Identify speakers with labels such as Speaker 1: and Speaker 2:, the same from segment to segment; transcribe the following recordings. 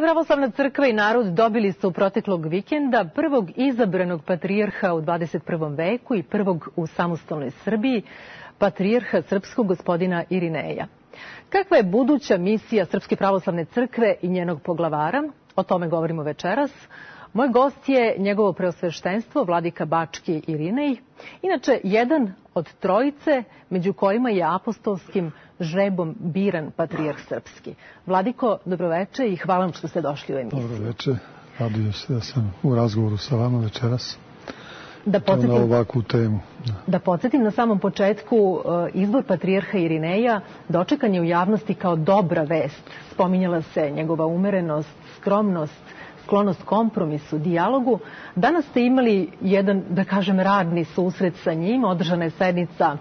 Speaker 1: pravoslavna crkva i narod dobili su proteklog vikenda prvog izabranog patrijarha u 21. veku i prvog u samostalnoj Srbiji, patrijarha srpskog gospodina Irineja. Kakva je buduća misija Srpske pravoslavne crkve i njenog poglavara? O tome govorimo večeras. Moj gost je njegovo preosveštenstvo, vladika Bački Irinej, inače jedan od trojice među kojima je apostolskim žrebom biran patrijarh srpski. Vladiko, dobroveče i hvala vam što ste došli u emisiju.
Speaker 2: Dobroveče, radujem se da sam u razgovoru sa vama večeras.
Speaker 1: Na
Speaker 2: ovakvu temu.
Speaker 1: Da podsjetim, na samom početku izbor patrijarha Irineja dočekan je u javnosti kao dobra vest. Spominjala se njegova umerenost, skromnost, sklonost kompromisu, dijalogu. Danas ste imali jedan, da kažem, radni susret sa njim. Održana je sednica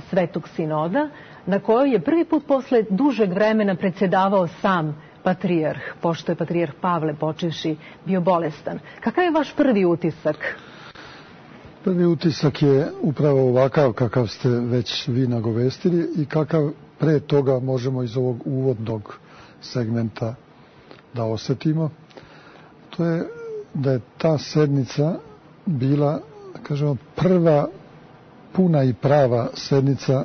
Speaker 1: Svetog sinoda, na kojoj je prvi put posle dužeg vremena predsjedavao sam patrijarh, pošto je patrijarh Pavle počevši bio bolestan. Kakav je vaš prvi utisak?
Speaker 2: Prvi utisak je upravo ovakav kakav ste već vi nagovestili i kakav pre toga možemo iz ovog uvodnog segmenta da osjetimo. To je da je ta sednica bila, kažemo, prva puna i prava sednica,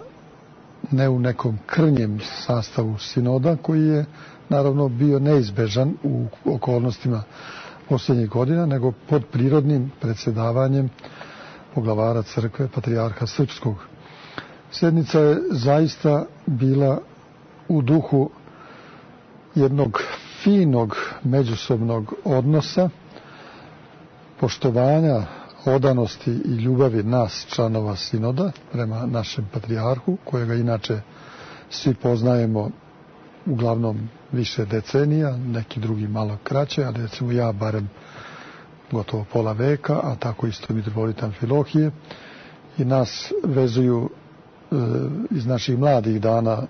Speaker 2: ne u nekom krnjem sastavu sinoda, koji je naravno bio neizbežan u okolnostima posljednjih godina, nego pod prirodnim predsjedavanjem poglavara crkve, patrijarha srpskog. Sednica je zaista bila u duhu jednog finog međusobnog odnosa, poštovanja, odanosti i ljubavi nas, članova sinoda, prema našem patrijarhu, kojega inače svi poznajemo uglavnom više decenija, neki drugi malo kraće, ali recimo ja barem gotovo pola veka, a tako isto mitropolit Amfilohije, i nas vezuju iz naših mladih dana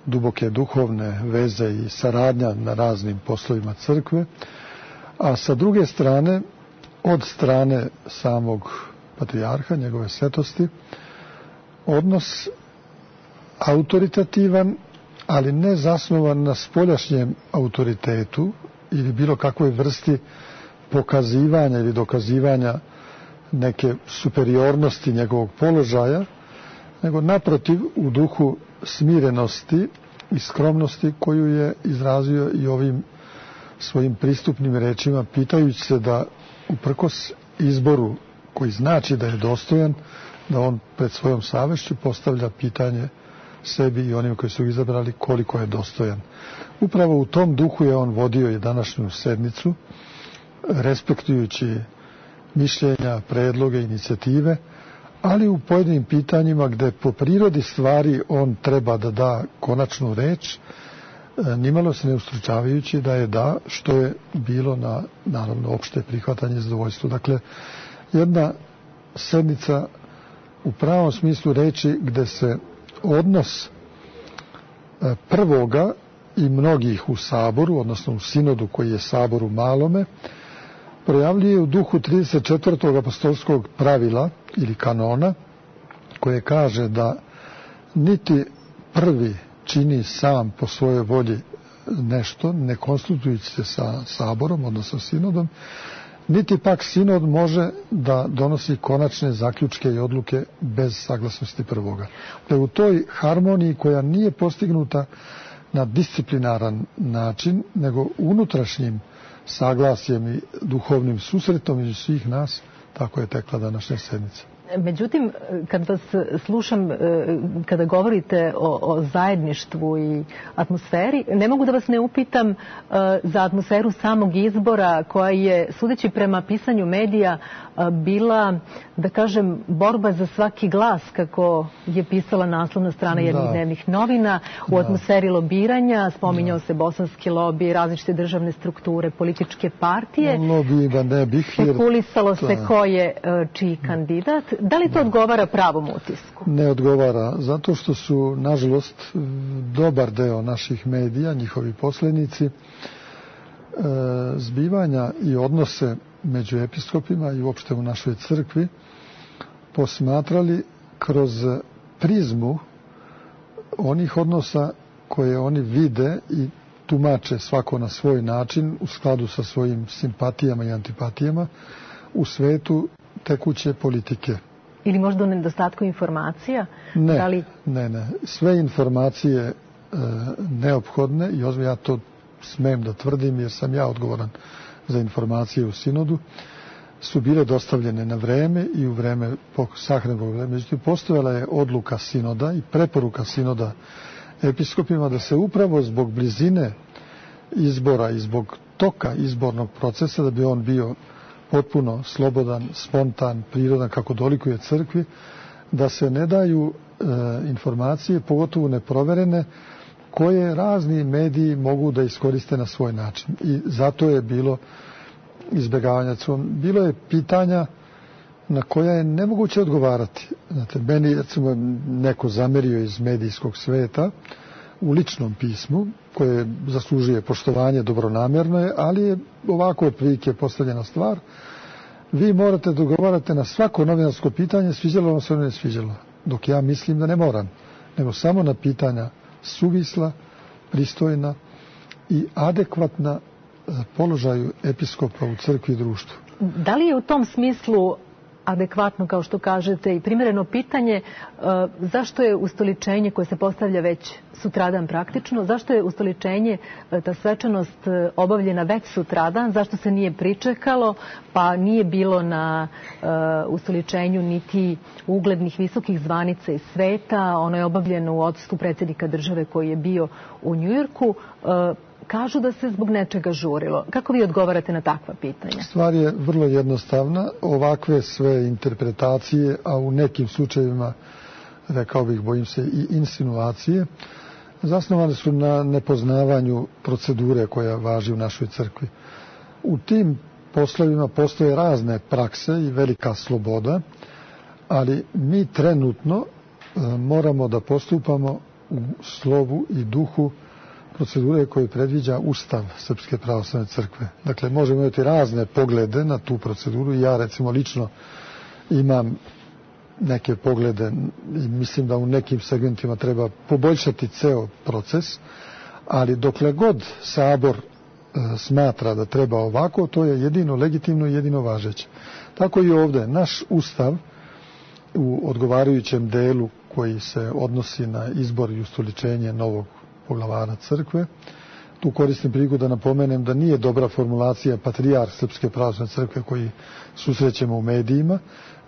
Speaker 2: duboke duhovne veze i saradnja na raznim poslovima crkve, a sa druge strane, od strane samog patrijarha, njegove svetosti, odnos autoritativan, ali ne zasnovan na spoljašnjem autoritetu ili bilo kakvoj vrsti pokazivanja ili dokazivanja neke superiornosti njegovog položaja, nego naprotiv u duhu smirenosti i skromnosti koju je izrazio i ovim svojim pristupnim rečima, pitajući se da uprkos izboru koji znači da je dostojan, da on pred svojom savešću postavlja pitanje sebi i onim koji su izabrali koliko je dostojan. Upravo u tom duhu je on vodio i današnju sednicu, respektujući mišljenja, predloge, inicijative, ali u pojedinim pitanjima gde po prirodi stvari on treba da da konačnu reč, nimalo se ne ustručavajući da je da, što je bilo na, naravno, opšte prihvatanje i zadovoljstvo. Dakle, jedna sednica u pravom smislu reči gde se odnos prvoga i mnogih u saboru, odnosno u sinodu koji je sabor u malome, projavljuje u duhu 34. apostolskog pravila ili kanona, koje kaže da niti prvi čini sam po svojoj volji nešto, ne konsultujući se sa saborom, odnosno sinodom, niti pak sinod može da donosi konačne zaključke i odluke bez saglasnosti prvoga. U toj harmoniji koja nije postignuta na disciplinaran način, nego unutrašnjim saglasjem i duhovnim susretom između svih nas, tako je tekla današnja sednica.
Speaker 1: Međutim, kad vas slušam, kada govorite o zajedništvu i atmosferi, ne mogu da vas ne upitam za atmosferu samog izbora, koja je, sudeći prema pisanju medija, bila, da kažem, borba za svaki glas, kako je pisala naslovna strana jednih dnevnih novina, u atmosferi lobiranja, spominjao se bosanski lobi, različite državne strukture, političke partije.
Speaker 2: Lobi da ne bih,
Speaker 1: spekulisalo se ko je čiji kandidat. Da li to odgovara pravom utisku?
Speaker 2: Ne odgovara, zato što su, nažalost, dobar deo naših medija, njihovi posljednici, zbivanja i odnose među episkopima i uopšte u našoj crkvi posmatrali kroz prizmu onih odnosa koje oni vide i tumače svako na svoj način u skladu sa svojim simpatijama i antipatijama u svetu tekuće politike.
Speaker 1: Ili možda u nedostatku informacija?
Speaker 2: Ne. Sve informacije neophodne, i ja to smem da tvrdim jer sam ja odgovoran za informacije u sinodu, su bile dostavljene na vreme i u vreme sahrane Bogorodice. Međutim, postojala je odluka sinoda i preporuka sinoda episkopima da se upravo zbog blizine izbora i zbog toka izbornog procesa, da bi on bio potpuno slobodan, spontan, prirodan, kako dolikuje crkvi, da se ne daju informacije, pogotovo neproverene, koje razni mediji mogu da iskoriste na svoj način. I zato je bilo izbjegavanja. Bilo je pitanja na koja je nemoguće odgovarati. Znate, meni recimo neko zamerio iz medijskog sveta u ličnom pismu, koje zaslužuje poštovanje, dobronamjerno je, ali je ovako otprilike postavljena stvar. Vi morate da odgovarate na svako novinarsko pitanje, sviđalo vam se ili ne sviđalo. Dok ja mislim da ne moram, nego samo na pitanja suvisla, pristojna i adekvatna položaju episkopa u crkvi i društvu.
Speaker 1: Da li je u tom smislu adekvatno, kao što kažete, i primjereno pitanje zašto je ustoličenje koje se postavlja već sutradan praktično, zašto je ustoličenje, ta svečanost obavljena već sutradan, zašto se nije pričekalo, pa nije bilo na ustoličenju niti uglednih visokih zvanica iz sveta, ono je obavljeno u odsustvu predsjednika države koji je bio u Njujorku. Kažu da se zbog nečega žurilo. Kako vi odgovarate na takva pitanja?
Speaker 2: Stvar je vrlo jednostavna. Ovakve sve interpretacije, a u nekim slučajevima, rekao bih, bojim se, i insinuacije, zasnovane su na nepoznavanju procedure koja važi u našoj crkvi. U tim poslovima postoje razne prakse i velika sloboda, ali mi trenutno moramo da postupamo u slovu i duhu procedure koje predviđa Ustav Srpske pravoslavne crkve. Dakle, možemo imati razne poglede na tu proceduru. Ja, recimo, lično imam neke poglede i mislim da u nekim segmentima treba poboljšati ceo proces, ali dokle god Sabor smatra da treba ovako, to je jedino legitimno i jedino važeće. Tako i ovde. Naš Ustav u odgovarajućem delu koji se odnosi na izbor i ustoličenje novog poglavara crkve. Tu koristim priliku da napomenem da nije dobra formulacija patrijarh Srpske pravoslavne crkve koji susrećemo u medijima,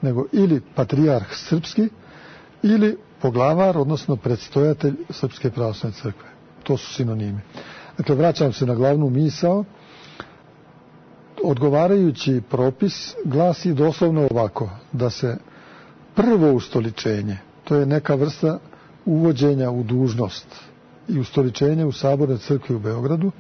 Speaker 2: nego ili patrijarh srpski ili poglavar, odnosno predstojatelj Srpske pravoslavne crkve. To su sinonimi. Dakle, vraćam se na glavnu misao. Odgovarajući propis glasi doslovno ovako, da se prvo ustoličenje, to je neka vrsta uvođenja u dužnost i ustoličenje u Sabornoj crkvi u Beogradu,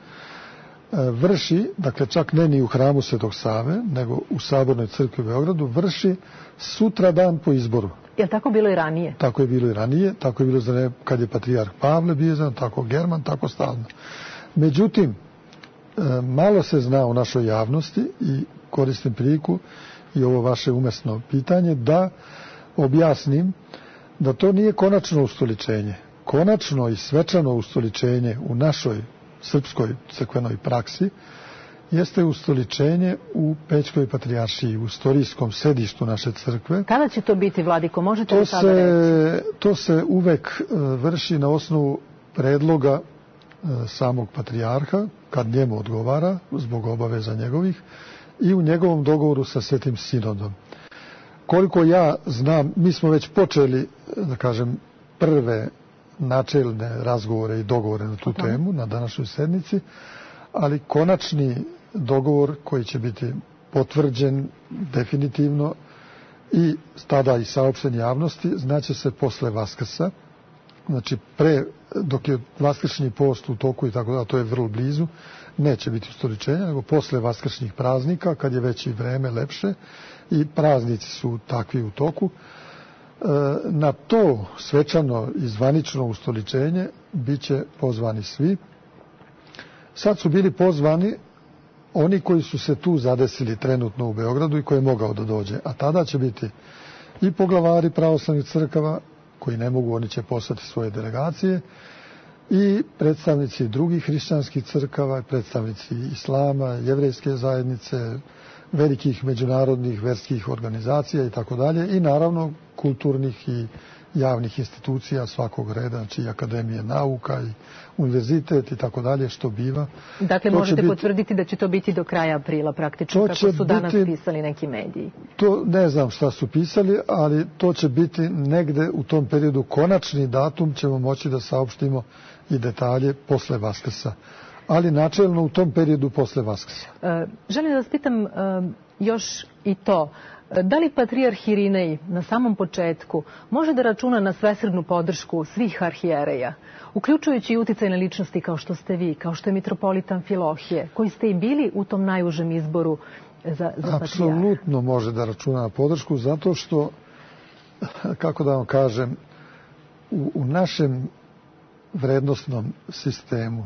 Speaker 2: vrši, dakle čak ne ni u hramu Svetog Save, nego u Sabornoj crkvi u Beogradu, vrši sutra dan po izboru.
Speaker 1: Je li tako bilo i ranije?
Speaker 2: Tako je bilo i ranije, tako je bilo kad je patrijarh Pavle bio, tako German, tako stalno. Međutim, malo se zna u našoj javnosti i koristim priliku i ovo vaše umesno pitanje da objasnim da to nije konačno ustoličenje. Konačno i svečano ustoličenje u našoj srpskoj crkvenoj praksi jeste ustoličenje u Pećkoj patrijaršiji, u istorijskom sedištu naše crkve.
Speaker 1: Kada će to biti, vladiko? Možete li sada reći?
Speaker 2: To se uvek vrši na osnovu predloga samog patrijarha, kad njemu odgovara, zbog obaveza njegovih, i u njegovom dogovoru sa Svetim sinodom. Koliko ja znam, mi smo već počeli, da kažem, prve načelne razgovore i dogovore na tu temu, na današnjoj sednici, ali konačni dogovor koji će biti potvrđen definitivno i tada i saopšten javnosti, znaće se posle Vaskrsa. Znači, dok je vaskršnji post u toku i tako da, to je vrlo blizu, neće biti ustoličenja, nego posle vaskršnjih praznika, kad je već i vreme lepše i praznici su takvi u toku. Na to svečano i zvanično ustoličenje bit će pozvani svi. Sad su bili pozvani oni koji su se tu zadesili trenutno u Beogradu i koji je mogao da dođe. A tada će biti i poglavari pravoslavnih crkava, koji ne mogu, oni će poslati svoje delegacije, i predstavnici drugih hrišćanskih crkava, predstavnici islama, jevrejske zajednice, velikih međunarodnih verskih organizacija i tako dalje, i naravno kulturnih i javnih institucija svakog reda, znači i akademije nauka i univerzitet i tako dalje, što biva.
Speaker 1: Dakle, možete potvrditi da će to biti do kraja aprila praktično, kako su danas pisali neki mediji?
Speaker 2: To ne znam šta su pisali, ali to će biti negde u tom periodu. Konačni datum ćemo moći da saopštimo i detalje posle Vaskrsa, ali načelno u tom periodu posle Vaskrsa.
Speaker 1: Želim da vas pitam još i to. Da li patrijarh Irinej na samom početku može da računa na svesrdnu podršku svih arhijereja, uključujući i uticajne ličnosti kao što ste vi, kao što je mitropolit Amfilohije, koji ste i bili u tom najužem izboru za patrijarha?
Speaker 2: Apsolutno može da računa na podršku, zato što, kako da vam kažem, u našem vrednostnom sistemu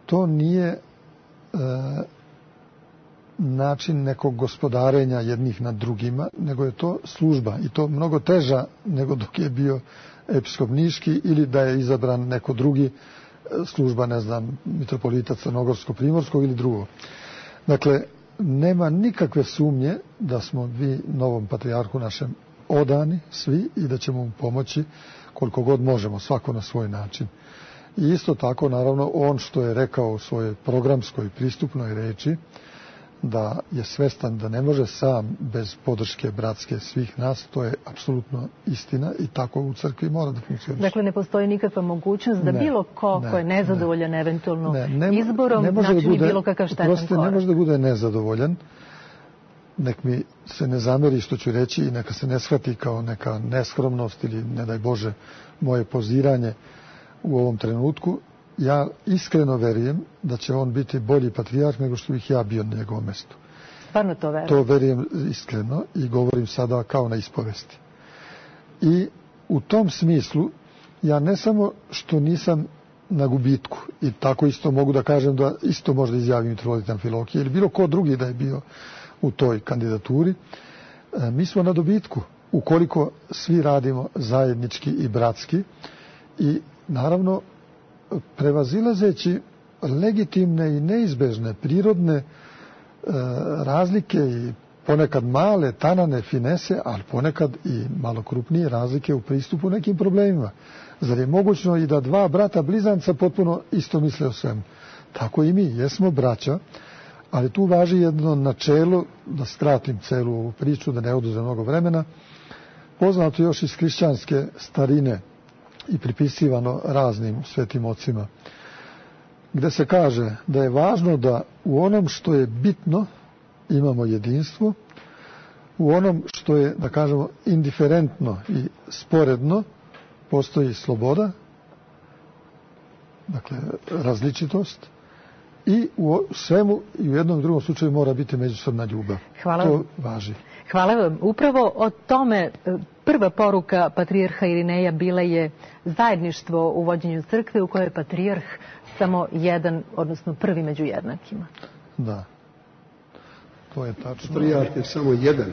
Speaker 2: to nije način nekog gospodarenja jednih nad drugima, nego je to služba, i to mnogo teža nego dok je bio episkop Niški ili da je izabran neko drugi, služba, ne znam, mitropolita Crnogorsko-Primorskog ili drugo. Dakle, nema nikakve sumnje da smo vi novom patrijarhu našem odani svi i da ćemo mu pomoći koliko god možemo, svako na svoj način. I isto tako, naravno, on što je rekao u svojoj programskoj pristupnoj reči, da je svestan da ne može sam bez podrške bratske svih nas, to je apsolutno istina i tako u crkvi mora da funkcioniše.
Speaker 1: Dakle, ne postoji nikakva mogućnost da bilo ko je nezadovoljan eventualno izborom, načini bilo kakav štetan korak.
Speaker 2: Ne može da bude nezadovoljan. Nek mi se ne zameri što ću reći i neka se ne shvati kao neka neskromnost ili, ne daj Bože, moje poziranje u ovom trenutku. Ja iskreno verujem da će on biti bolji patrijarh nego što bih ja bio na njegovom mestu.
Speaker 1: Stvarno to verujem?
Speaker 2: To verujem iskreno i govorim sada kao na ispovesti. I u tom smislu ja ne samo što nisam na gubitku, i tako isto mogu da kažem da isto možda izjavim mitropolit Amfilohije ili bilo ko drugi da je bio u toj kandidaturi, mi smo na dobitku ukoliko svi radimo zajednički i bratski i naravno prevazilazeći legitimne i neizbežne prirodne razlike i ponekad male, tanane finese, ali ponekad i malo krupnije razlike u pristupu nekim problemima. Zar je mogućno i da dva brata blizanca potpuno isto misle o svemu? Tako i mi, jesmo braća, ali tu važi jedno načelo, da skratim celu ovu priču, da ne oduzem mnogo vremena, poznato još iz hrišćanske starine i pripisivano raznim svetim ocima, gde se kaže da je važno da u onom što je bitno imamo jedinstvo, u onom što je, da kažemo, indiferentno i sporedno postoji sloboda, dakle različitost, i u svemu i u jednom i drugom slučaju mora biti međusobna ljubav. To važi.
Speaker 1: Hvala vam. Upravo o tome prva poruka patrijarha Irineja bila je zajedništvo u vođenju crkve u kojoj je patrijarh samo jedan, odnosno prvi među jednakima.
Speaker 2: Da. To je tačno.
Speaker 3: Patrijarh je samo jedan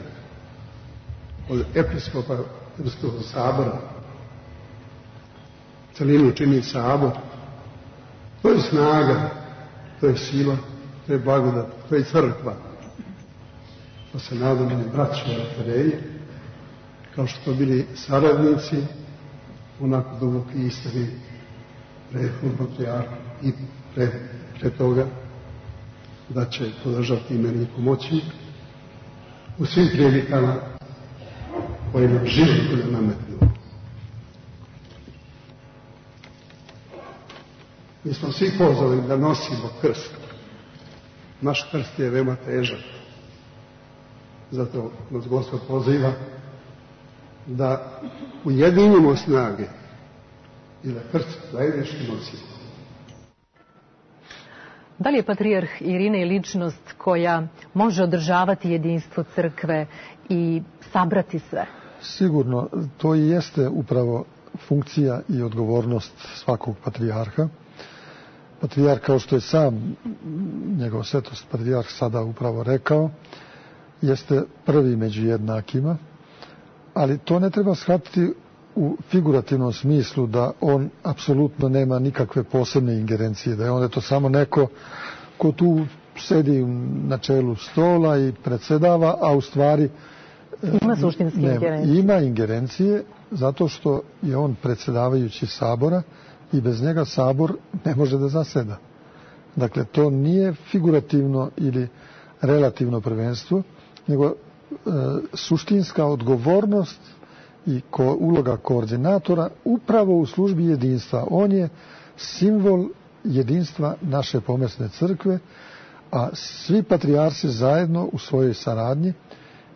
Speaker 3: od episkopa Srpskog sabora. Celinu čini sabor. To je snaga, to je sila, to je blagodat, to je crkva. Pa se nadam da braću arhijereji, kao što su bili saradnici, onako duboki istini prethodnog patrijarha i pre toga, da će podržati i meni pomoći u svim prilikama koje nam život nametnu. Mi smo svi pozvali da nosimo krst. Naš krst je veoma težak. Zato nas Gospod poziva da ujedinimo snage i da krst zajednički nosimo.
Speaker 1: Da li je patrijarh Irinej ličnost koja može održavati jedinstvo crkve i sabrati sve?
Speaker 2: Sigurno, to i jeste upravo funkcija i odgovornost svakog patrijarha. Patrijarh, kao što je sam njegov svetost patrijarh sada upravo rekao, jeste prvi među jednakima, ali to ne treba shvatiti u figurativnom smislu da on apsolutno nema nikakve posebne ingerencije, da je on samo neko ko tu sedi na čelu stola i predsjedava, a u stvari
Speaker 1: ima suštinske ingerencije.
Speaker 2: Ima ingerencije zato što je on predsjedavajući Sabora i bez njega Sabor ne može da zaseda. Dakle, to nije figurativno ili relativno prvenstvo, nego suštinska odgovornost i uloga koordinatora upravo u službi jedinstva. On je simbol jedinstva naše pomesne crkve, a svi patrijarsi zajedno u svojoj saradnji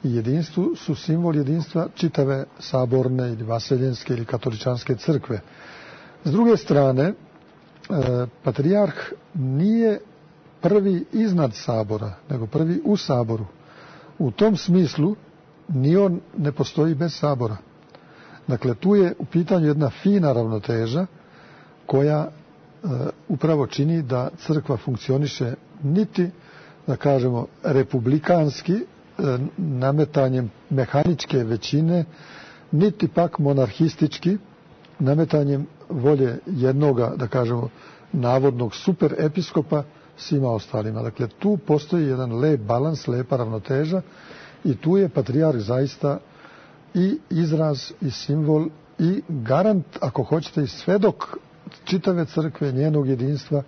Speaker 2: i jedinstvu su simbol jedinstva čitave saborne ili vaseljenske ili katoličanske crkve. S druge strane, patrijarh nije prvi iznad Sabora, nego prvi u Saboru. U tom smislu ni on ne postoji bez Sabora. Dakle, tu je u pitanju jedna fina ravnoteža koja upravo čini da crkva funkcioniše niti, da kažemo, republikanski, nametanjem mehaničke većine, niti pak monarhistički, nametanjem volje jednoga, da kažemo, navodnog superepiskopa svima ostalima. Dakle, tu postoji jedan lep balans, lepa ravnoteža i tu je patrijarh zaista i izraz i simbol i garant, ako hoćete, i svedok čitave crkve, njenog jedinstva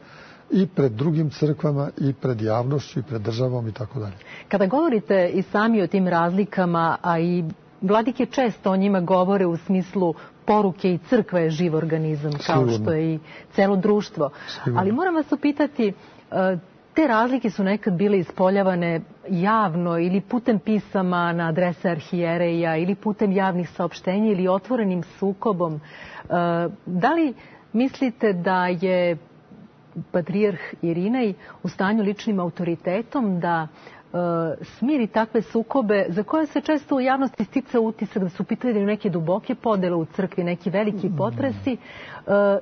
Speaker 2: i pred drugim crkvama i pred javnošću i pred državom i tako dalje.
Speaker 1: Kada govorite i sami o tim razlikama, a i vladike često o njima govore u smislu poruke i crkva je živ organizam, kao što je i celo društvo. Ali moram vas upitati, te razlike su nekad bile ispoljavane javno ili putem pisama na adrese arhijereja ili putem javnih saopštenja ili otvorenim sukobom. Da li mislite da je patrijarh Irinej u stanju ličnim autoritetom da smiri takve sukobe za koje se često u javnosti stica utisak da su pitali neke duboke podele u crkvi, neki veliki potresi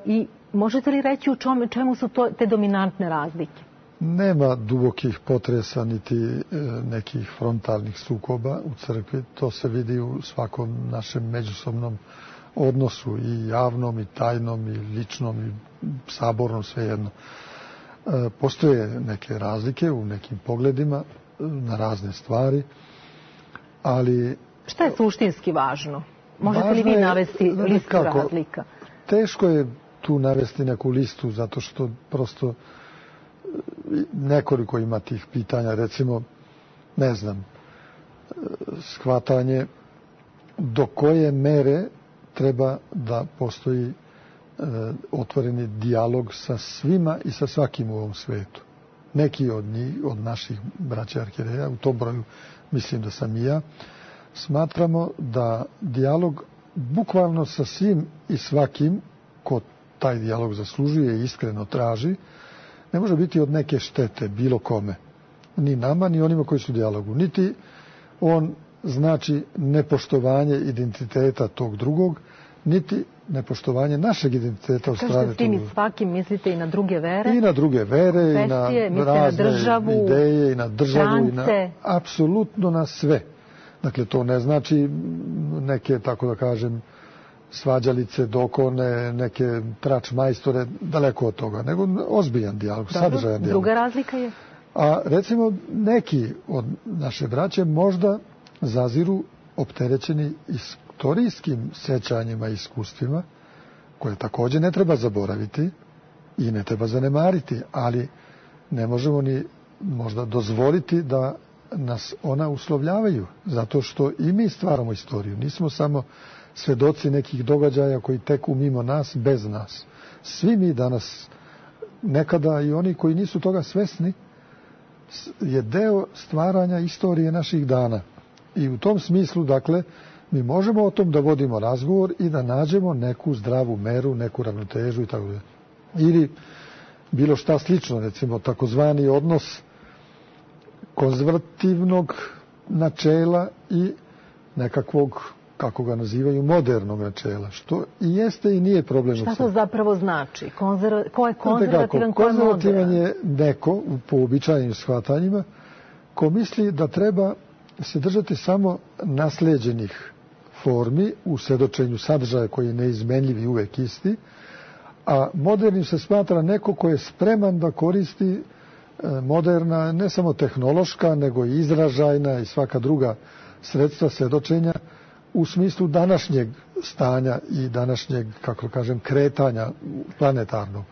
Speaker 1: i možete li reći u čemu su te dominantne razlike?
Speaker 2: Nema dubokih potresa niti nekih frontalnih sukoba u crkvi. To se vidi u svakom našem međusobnom odnosu i javnom i tajnom i ličnom i sabornom, svejedno. Postoje neke razlike u nekim pogledima na razne stvari, ali...
Speaker 1: Šta je suštinski važno? Možete li vi navesti listu razlika?
Speaker 2: Teško je tu navesti neku listu, zato što prosto nekoliko ima tih pitanja. Recimo, ne znam, shvatanje do koje mere treba da postoji otvoreni dijalog sa svima i sa svakim u ovom svetu. Neki od njih, od naših braća arhijereja, u tom broju mislim da sam i ja, smatramo da dijalog bukvalno sa svim i svakim ko taj dijalog zaslužuje i iskreno traži, ne može biti od neke štete bilo kome. Ni nama, ni onima koji su u dijalogu. Niti on znači nepoštovanje identiteta tog drugog, niti nepoštovanje našeg identiteta od strane tog drugog.
Speaker 1: Kažete s tim i svakim, mislite i na druge vere?
Speaker 2: I na druge vere, i na razne ideje, i na državu, i na apsolutno na sve. Dakle, to ne znači neke, tako da kažem, svađalice, dokone, neke trač majstore, daleko od toga, nego ozbiljan dijalog, sadržajan dijalog.
Speaker 1: Druga razlika je?
Speaker 2: A recimo neki od naše braće možda zaziru opterećeni istorijskim sećanjima i iskustvima, koje također ne treba zaboraviti i ne treba zanemariti, ali ne možemo ni možda dozvoliti da nas ona uslovljavaju, zato što i mi stvaramo istoriju. Nismo samo svedoci nekih događaja koji teku mimo nas, bez nas. Svi mi danas, nekada i oni koji nisu toga svesni, je deo stvaranja istorije naših dana. I u tom smislu, dakle, mi možemo o tom da vodimo razgovor i da nađemo neku zdravu meru, neku ravnotežu i tako dalje. Ili bilo šta slično, recimo takozvani odnos konzervativnog načela i nekakvog, kako ga nazivaju, modernog načela, što i jeste i nije problem.
Speaker 1: Šta to zapravo znači? Ko je konzervativan, ko je modern?
Speaker 2: Konzervativan je neko, po uobičajenim shvatanjima, ko misli da treba se držati samo nasleđenih formi, u svedočenju sadržaja koji je neizmenljiv i uvek isti, a modernim se smatra neko ko je spreman da koristi moderna, ne samo tehnološka, nego i izražajna i svaka druga sredstva svedočenja u smislu današnjeg stanja i današnjeg, kako kažem, kretanja planetarnog.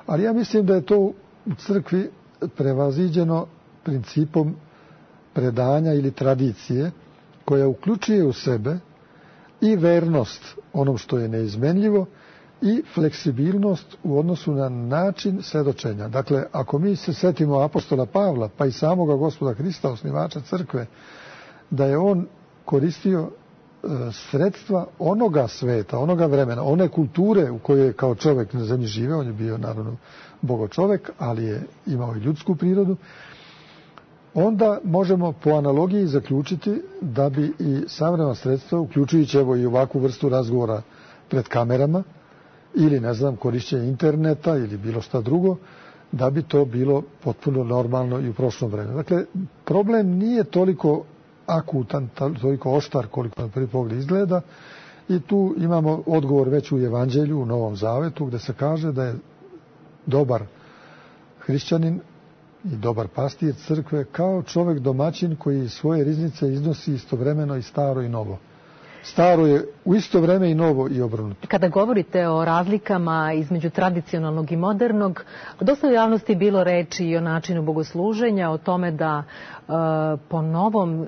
Speaker 2: Ali ja mislim da je to u crkvi prevaziđeno principom predanja ili tradicije koja uključuje u sebe i vernost onom što je neizmenljivo i fleksibilnost u odnosu na način svedočenja. Dakle, ako mi se setimo apostola Pavla, pa i samoga Gospoda Hrista, osnivača crkve, da je on koristio sredstva onoga sveta, onoga vremena, one kulture u kojoj je kao čovjek na zemlji živeo, on je bio naravno bogočovek, ali je imao i ljudsku prirodu, onda možemo po analogiji zaključiti da bi i savremena sredstva, uključujući evo i ovakvu vrstu razgovora pred kamerama, ili ne znam, korišćenje interneta ili bilo šta drugo, da bi to bilo potpuno normalno i u prošlom vremenu. Dakle, problem nije toliko akutan, toliko oštar koliko na prvi pogled izgleda, i tu imamo odgovor već u Evanđelju, u Novom Zavetu, gde se kaže da je dobar hrišćanin i dobar pastir crkve kao čovjek domaćin koji svoje riznice iznosi istovremeno i staro i novo. Staro je u isto vreme i novo i obrnuto.
Speaker 1: Kada govorite o razlikama između tradicionalnog i modernog, dosta u javnosti je bilo reči i o načinu bogosluženja, o tome da po novom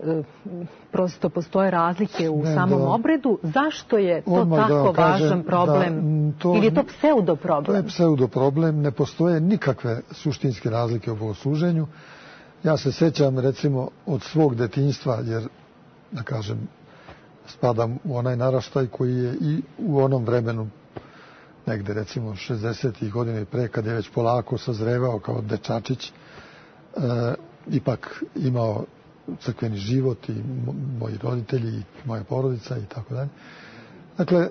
Speaker 1: prosto postoje razlike u samom obredu. Zašto je to tako važan problem? Ili je to pseudoproblem?
Speaker 2: To je pseudoproblem, ne postoje nikakve suštinske razlike u bogosluženju. Ja se sećam recimo od svog detinjstva, jer da kažem, spadam u onaj naraštaj koji je i u onom vremenu, negde recimo 60. godina i pre, kad je već polako sazrevao kao dečačić, ipak imao crkveni život i moji roditelji i moja porodica i tako dalje. Dakle,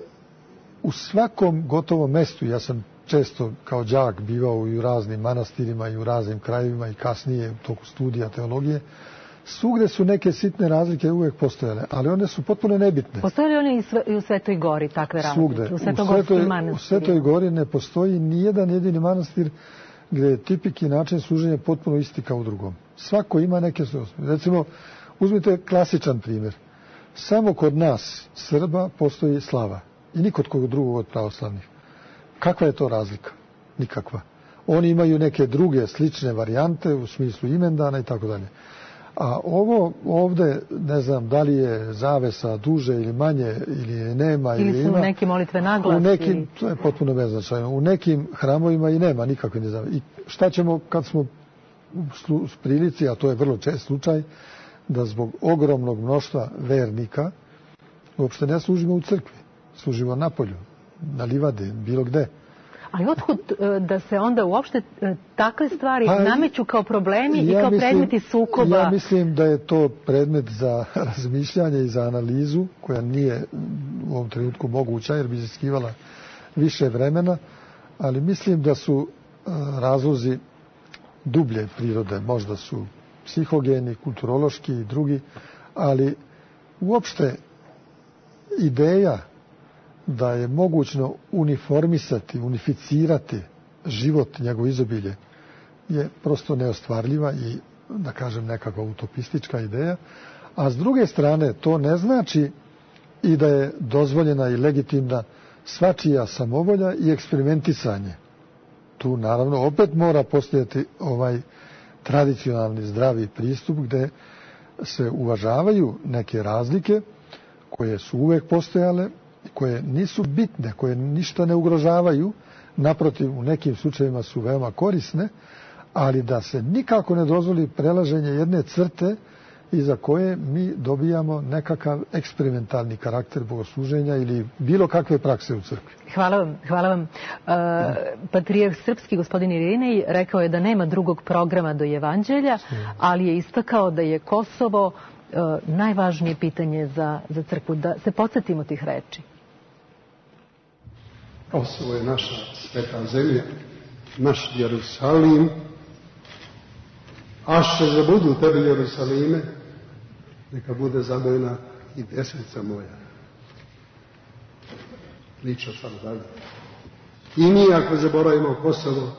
Speaker 2: u svakom gotovom mestu, ja sam često kao đak bivao i u raznim manastirima i u raznim krajevima i kasnije u toku studija teologije, svugde su neke sitne razlike uvek postojale, ali one su potpuno nebitne.
Speaker 1: Postoje li one i u Svetoj Gori takve razlike?
Speaker 2: Svugde.
Speaker 1: U
Speaker 2: Svetoj Gori ne postoji nijedan jedini manastir gdje je tipik i način služenja potpuno isti kao u drugom. Svako ima neke svoje. Recimo, uzmite klasičan primjer. Samo kod nas, Srba, postoji slava. I nikod kod drugog od pravoslavnih. Kakva je to razlika? Nikakva. Oni imaju neke druge slične varijante u smislu imendana i tako dalje. A ovo ovde, ne znam, da li je zavesa duže ili manje, ili je nema, ili
Speaker 1: su
Speaker 2: ima.
Speaker 1: neke molitve naglas.
Speaker 2: U nekim, to je potpuno beznačajno. U nekim hramovima i nema nikakve nezavese. I šta ćemo kad smo u prilici, a to je vrlo čest slučaj, da zbog ogromnog mnoštva vernika uopšte ne služimo u crkvi. Služimo napolju, na livadi, bilo gde.
Speaker 1: Ali otkud da se onda uopšte takve stvari nameću kao problemi i kao predmeti sukoba?
Speaker 2: Ja mislim da je to predmet za razmišljanje i za analizu, koja nije u ovom trenutku moguća jer bi iziskivala više vremena, ali mislim da su razlozi dublje prirode, možda su psihogeni, kulturološki i drugi, ali uopšte ideja da je mogućno uniformisati, unificirati život, njegov izobilje, je prosto neostvarljiva i, da kažem, nekakva utopistička ideja. A s druge strane, to ne znači i da je dozvoljena i legitimna svačija samovolja i eksperimentisanje. Tu, naravno, opet mora postojati ovaj tradicionalni zdravi pristup gde se uvažavaju neke razlike koje su uvek postojale, koje nisu bitne, koje ništa ne ugrožavaju, naprotiv, u nekim slučajevima su veoma korisne, ali da se nikako ne dozvoli prelaženje jedne crte iza koje mi dobijamo nekakav eksperimentalni karakter bogosluženja ili bilo kakve prakse u crkvi.
Speaker 1: Hvala vam. Patrijarh srpski, gospodin Irinej, rekao je da nema drugog programa do Evanđelja, ali je istakao da je Kosovo najvažnije pitanje za crkvu. Da se podsjetimo tih reči.
Speaker 3: Kosovo je naša sveta zemlja, naš Jerusalim. Ašće zabudu tebi, Jerusalime, neka bude zadovoljna i desnica moja. priča sad dalje. I mi ako zaboravimo Kosovo,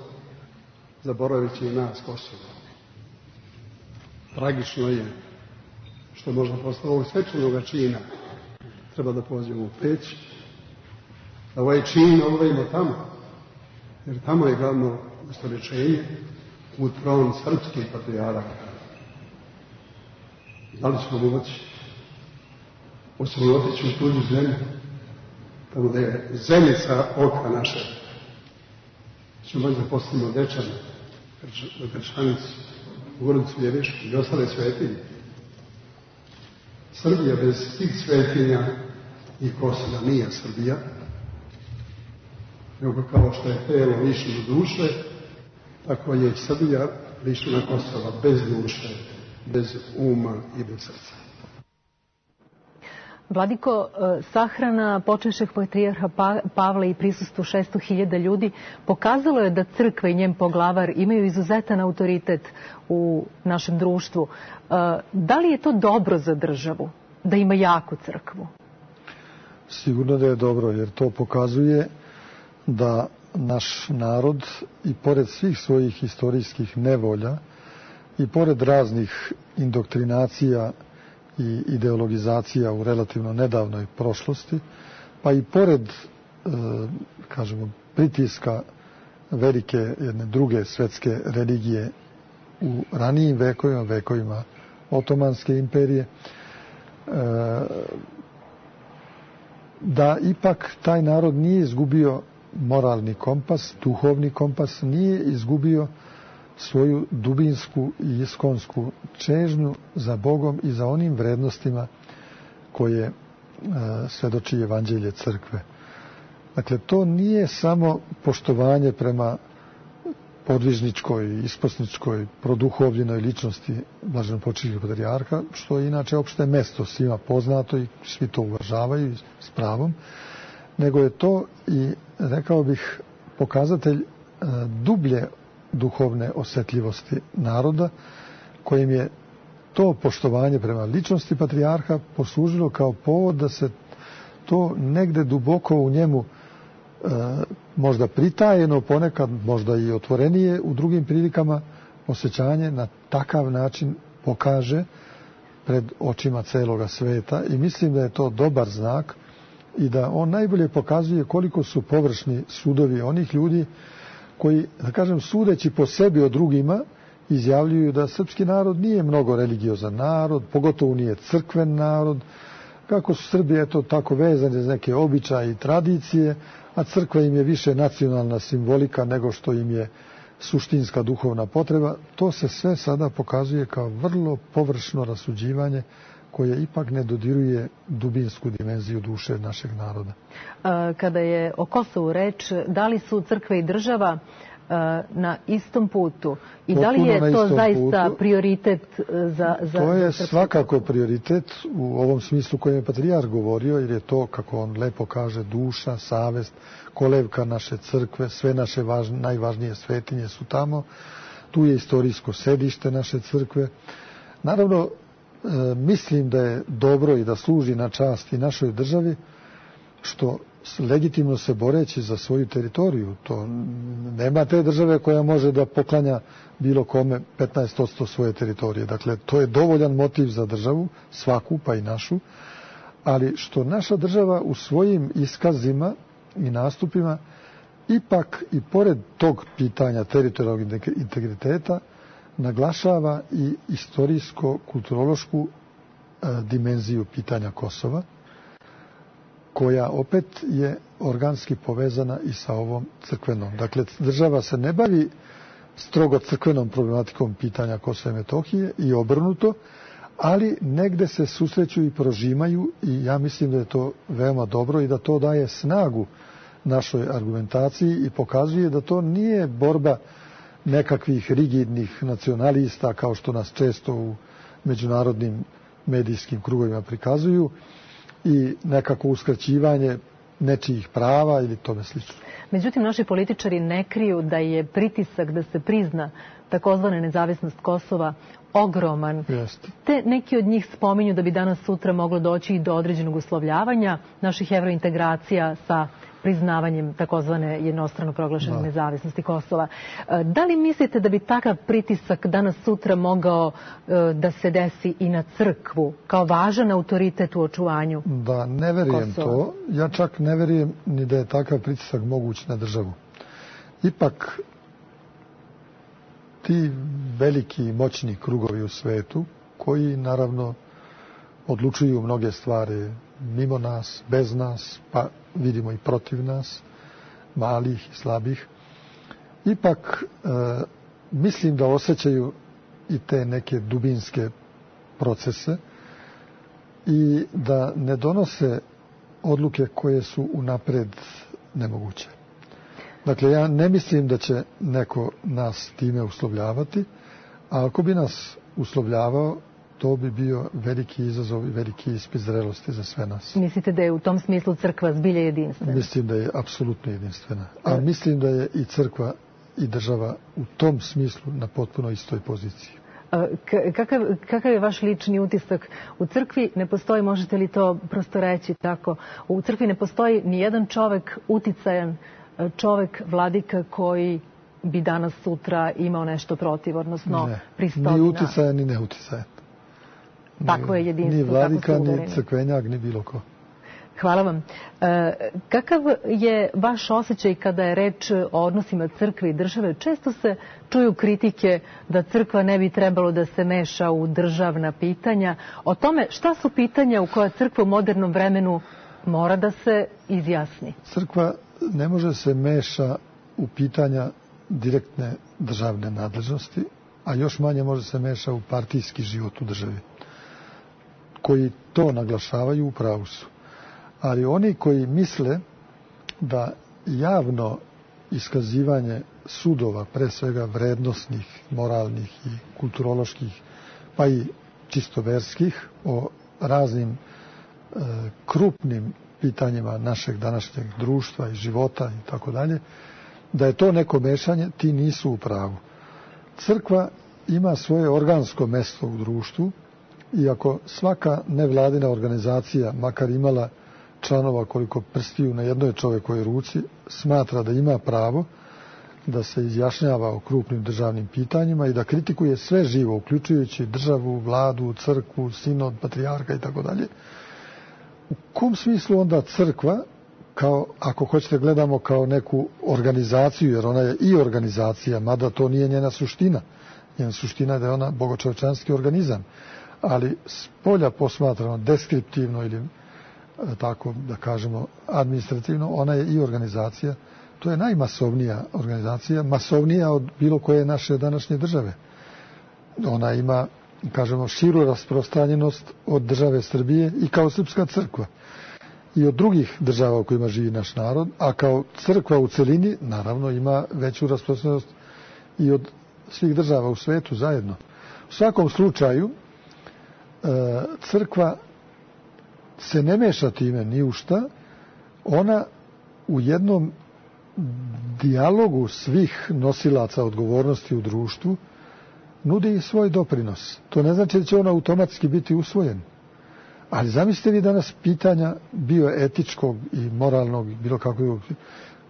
Speaker 3: zaboravit će i nas Kosovo. Tragično je što možda posle ovog svečanog čina treba da pođemo u Peć, da ovaj čin obavimo tamo, jer tamo je glavno ustoličenje u tron srpskih patrijaraka. Da li ćemo moći? Hoćemo otići u tuđu zemlju, tamo da je zeniца oka naše. Ćemo moći da postavimo Dečane, Grčanicu, Goricu Ljevišku i ostale svetinje. Srbija bez tih svetinja i Kosova nije Srbija, nego kao što je telo lišeno duše, tako je i Srbija lišena Kosova bez duše, bez uma i bez srca.
Speaker 1: Vladiko, sahrana počešeg patrijarha Pavla i prisustvo 600.000 ljudi pokazalo je da crkva i njen poglavar imaju izuzetan autoritet u našem društvu. Da li je to dobro za državu, da ima jaku crkvu?
Speaker 2: Sigurno da je dobro, jer to pokazuje da naš narod i pored svih svojih istorijskih nevolja i pored raznih indoktrinacija i ideologizacija u relativno nedavnoj prošlosti, pa i pored, kažemo, pritiska velike jedne druge svetske religije u ranijim vekovima, vekovima Otomanske imperije, da ipak taj narod nije izgubio moralni kompas, duhovni kompas, nije izgubio svoju dubinsku i iskonsku čežnju za Bogom i za onim vrednostima koje svedoči Evanđelje crkve. Dakle, to nije samo poštovanje prema podvižničkoj, isposničkoj, produhovljenoj ličnosti blaženopočivšeg patrijarha, što je inače opšte mesto svima poznato i svi to uvažavaju s pravom, nego je to i, rekao bih, pokazatelj dublje duhovne osetljivosti naroda, kojim je to poštovanje prema ličnosti patrijarha poslužilo kao povod da se to negde duboko u njemu, možda pritajeno, ponekad možda i otvorenije u drugim prilikama, osjećanje na takav način pokaže pred očima celoga sveta, i mislim da je to dobar znak i da on najbolje pokazuje koliko su površni sudovi onih ljudi koji, da kažem, sudeći po sebi o drugima, izjavljuju da srpski narod nije mnogo religiozan narod, pogotovo nije crkven narod, kako su Srbi eto tako vezani za neke običaje i tradicije, a crkva im je više nacionalna simbolika nego što im je suštinska duhovna potreba. To se sve sada pokazuje kao vrlo površno rasuđivanje koje ipak ne dodiruje dubinsku dimenziju duše našeg naroda.
Speaker 1: Kada je o Kosovu reč, da li su crkva i država na istom putu i da li je to zaista prioritet za
Speaker 2: to je svakako prioritet u ovom smislu kojem je patrijarh govorio, jer je to, kako on lepo kaže, duša, savest, kolevka naše crkve, sve naše najvažnije svetinje su tamo, tu je istorijsko sedište naše crkve. Naravno, mislim da je dobro i da služi na čast i našoj državi, što legitimno se boreći za svoju teritoriju. To nema te države koja može da poklanja bilo kome 15% svoje teritorije. Dakle, to je dovoljan motiv za državu, svaku pa i našu, ali što naša država u svojim iskazima i nastupima ipak i pored tog pitanja teritorijalnog integriteta naglašava i istorijsko-kulturološku dimenziju pitanja Kosova, koja opet je organski povezana i sa ovom crkvenom. Dakle, država se ne bavi strogo crkvenom problematikom pitanja Kosova i Metohije i obrnuto, ali negde se susreću i prožimaju, i ja mislim da je to veoma dobro i da to daje snagu našoj argumentaciji i pokazuje da to nije borba nekakvih rigidnih nacionalista kao što nas često u međunarodnim medijskim krugovima prikazuju i nekako uskraćivanje nečijih prava ili tome slično.
Speaker 1: Međutim, naši političari ne kriju da je pritisak da se prizna takozvana nezavisnost Kosova ogroman.
Speaker 2: Jeste.
Speaker 1: Te neki od njih spominju da bi danas sutra moglo doći i do određenog uslovljavanja naših evrointegracija sa priznavanjem takozvane jednostrano proglašene nezavisnosti Kosova. Da li mislite da bi takav pritisak danas sutra mogao da se desi i na crkvu kao važan autoritet u očuvanju Kosova?
Speaker 2: Da, ne verujem to. Ja čak ne verujem ni da je takav pritisak moguć na državu. Ipak ti veliki i moćni krugovi u svetu, koji naravno odlučuju mnoge stvari mimo nas, bez nas, pa vidimo i protiv nas, malih i slabih, ipak mislim da osjećaju i te neke dubinske procese i da ne donose odluke koje su unapred nemoguće. Dakle, ja ne mislim da će neko nas time uslovljavati, a ako bi nas uslovljavao, to bi bio veliki izazov i veliki ispit zrelosti za sve nas.
Speaker 1: Mislite da je u tom smislu crkva zbilja jedinstvena? Mislim
Speaker 2: da je apsolutno jedinstvena. A mislim da je i crkva i država u tom smislu na potpuno istoj poziciji.
Speaker 1: Kakav je vaš lični utisak? U crkvi ne postoji, možete li to prosto reći tako, u crkvi ne postoji ni jedan čovek uticajan, čovek vladika koji bi danas sutra imao nešto protiv, odnosno pristojna.
Speaker 2: Ni uticajan, ni neuticajan.
Speaker 1: Takvo je jedinstvo.
Speaker 2: Ni vladika, ni crkvenjak, ni bilo ko.
Speaker 1: Hvala vam. Kakav je vaš osjećaj kada je reč o odnosima crkve i države? Često se čuju kritike da crkva ne bi trebalo da se meša u državna pitanja. O tome šta su pitanja u koja crkva u modernom vremenu mora da se izjasni?
Speaker 2: Crkva ne može se meša u pitanja direktne državne nadležnosti, a još manje može se meša u partijski život u državi. Koji to naglašavaju u pravu su. Ali oni koji misle da javno iskazivanje sudova, pre svega vrednosnih, moralnih i kulturoloških, pa i čisto verskih, o raznim krupnim pitanjima našeg današnjeg društva i života i tako dalje, da je to neko mešanje, ti nisu u pravu. Crkva ima svoje organsko mesto u društvu i ako svaka nevladina organizacija, makar imala članova koliko prstiju na jednoj čovekovoj ruci, smatra da ima pravo da se izjašnjava o krupnim državnim pitanjima i da kritikuje sve živo, uključujući državu, vladu, crkvu, sinod, patrijarha i tako dalje. U kom smislu onda crkva, kao, ako hoćete gledamo kao neku organizaciju, jer ona je i organizacija, mada to nije njena suština. Njena suština je da je ona bogočovečanski organizam. Ali s polja posmatrano, deskriptivno ili tako da kažemo administrativno, ona je i organizacija. To je najmasovnija organizacija, masovnija od bilo koje naše današnje države. Ona ima, kažemo, širu rasprostranjenost od države Srbije i kao srpska crkva. I od drugih država u kojima živi naš narod, a kao crkva u celini, naravno, ima veću rasprostranjenost i od svih država u svetu zajedno. U svakom slučaju, crkva se ne meša time ni u šta, ona u jednom dijalogu svih nosilaca odgovornosti u društvu nudi svoj doprinos. To ne znači da će on automatski biti usvojen. Ali zamislite vi danas pitanja bioetičkog i moralnog, bilo kakvog,